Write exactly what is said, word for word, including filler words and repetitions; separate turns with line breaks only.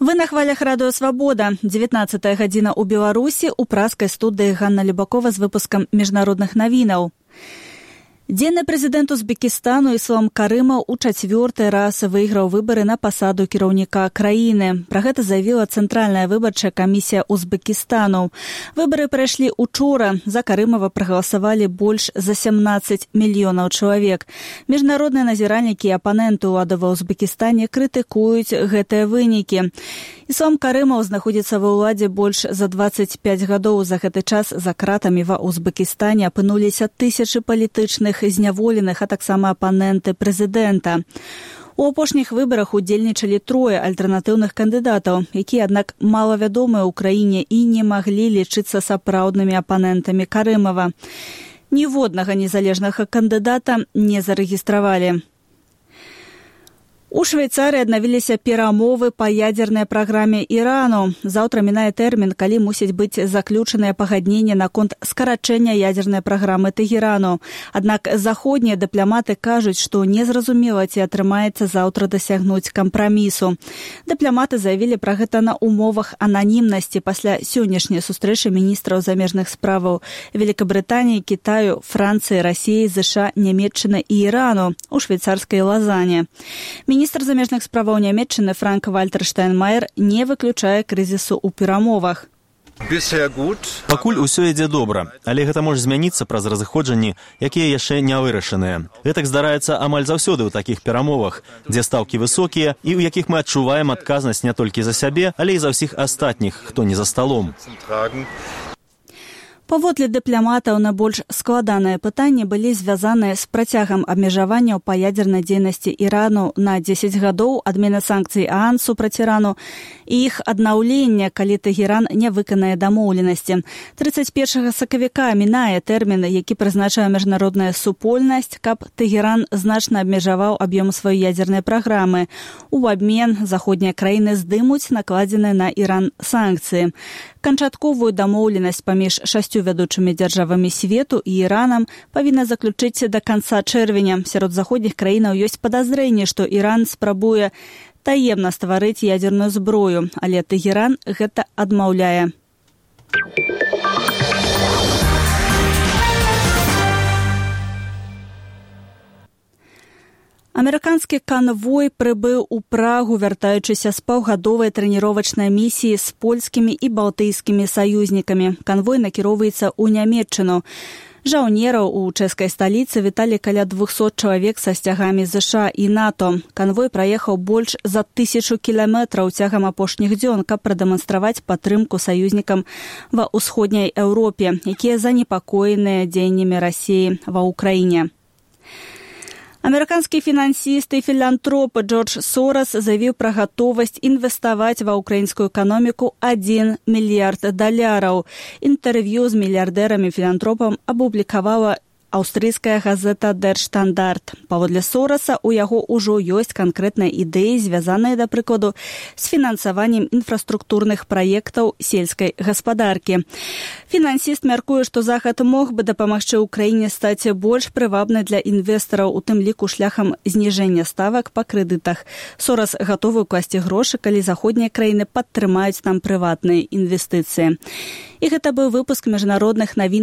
Вы на хвалях радыё «Свабода». дзевятнаццатая гадзіна ў Беларусі, у праскай студыі Ганна Любакова з выпускам міжнародных навінаў. Дзенны прэзідэнт Узбекістану Іслам Карымаў у чацвёрты раз выйграў выбары на пасаду кіраўніка краіны. Пра гэта заявіла Цэнтральная выбарчая камісія Узбекістану. Выбары прайшлі учора. За Карымава прагаласавалі больш за сямнаццаць мільёнаў чалавек. Міжнародныя назіральнікі і апаненты ўлады ва Узбекістане крытыкуюць гэтыя вынікі. Іслам Карымаў знаходзіцца ва ўладзе больш за дваццаць пяць гадоў. За гэты час за кратамі ва Узбекістане апынуліся тысячы палітычных зняволеных, а таксама апаненты прэзідэнта. У апошніх выбарах удзельнічалі трое альтэрнатыўных кандыдатаў, якія, аднак, малавядомыя ў краіне і не маглі лічыцца сапраўднымі апанентамі Карымава. Ніводнага незалежнага кандыдата не зарэгістравалі. У Швейцарыі аднавіліся перамовы па ядзернай праграме Ірану. Заўтра мінае тэрмін, калі мусіць быць заключанае пагадненне наконт скарачэння ядзернай праграмы Тэгерану. Аднак заходнія дыпламаты кажуць, што незразумела, ці атрымаецца заўтра дасягнуць кампрамісу. Дыпламаты заявілі пра гэта на умовах ананімнасці пасля сённяшняй сустрэчы міністраў замежных справаў Великабрытаніі, Кітаю, Францыі, Расіі, ЗША, Нямецчыны і Ірану у швейцарскай Лазане. Міністр замежных справаў Нямецчыны Франк-Вальтер Штайнмаер не выключае крызісу ў перамовах.
Пакуль усё ідзе добра, але гэта можа змяніцца праз разыходжанні, якія яшчэ не вырашаныя. Гэтак здараецца амаль заўсёды ў такіх перамовах, дзе стаўкі высокія і ў якіх мы адчуваем адказнасць не толькі за сябе, але і за ўсіх астатніх, хто не за сталом.
Паводле дыпламатаў найбольш складаныя пытанні былі звязаныя з працягам абмежаванняў па ядзернай дзейнасці Ірану на дзесяць гадоў, адмена санкцый ААН супраць Ірану і іх аднаўлення, калі Тэгеран не выканае дамоўленасці. трыццаць першага сакавіка мінае тэрмін, які прызначае міжнародная супольнасць, каб Тэгеран значна абмежаваў аб'ём сваёй ядзернай праграмы. У абмен заходнія краіны здымуць накладзеныя на Іран санкцыі. Канчатковую дамоўленасць паміж шасцю вядучымі дзяржавамі свету і Іранам павінна заключыць да канца чэрвеня. Сярод заходніх краінаў ёсць падазрэнне, што Іран спрабуе таемна стварыць ядзерную зброю, але Тэгеран гэта адмаўляе. Амерыканскі канвой прыбыў у Прагу, вяртаючыся з паўгадовай трэніровачнай місіі з польскімі і балтыйскімі саюзнікамі. Канвой накіроўваецца ў Нямецчыну. Жаўнераў у чэшскай сталіцы віталі каля двухсот чалавек са сцягамі ЗША і НАТО. Канвой праехаў больш за тысячу кіламетраў цягам апошніх дзён, каб прадэманстраваць падтрымку саюзнікам ва ўсходняй Еўропе, якія занепакоеныя дзеяннямі Расіі ва ўкраіне. Амерыканскі фінансіст і філантроп Джордж Сорас заявіў пра гатовасць інвеставаць ва ўкраінскую эканоміку адзін мільярд даляраў. Інтэрв'ю з мільярдэрамі-філантропам апублікавала аўстрыйская газета Der Standard. Паводле Сораса, у яго ўжо ёсць канкрэтныя ідэі, звязаныя, да прыкладу, з фінансаваннем інфраструктурных праектаў сельскай гаспадаркі. Фінансіст мяркуе, што Захад мог бы дапамагчы ўкраіне стаць больш прывабнай для інвестараў, у тым ліку шляхам зніжэння ставак па крэдытах. Сорас гатовы ўкласці грошы, калі заходнія краіны падтрымаюць там прыватныя інвестыцыі. І гэта быў выпуск міжнародных навін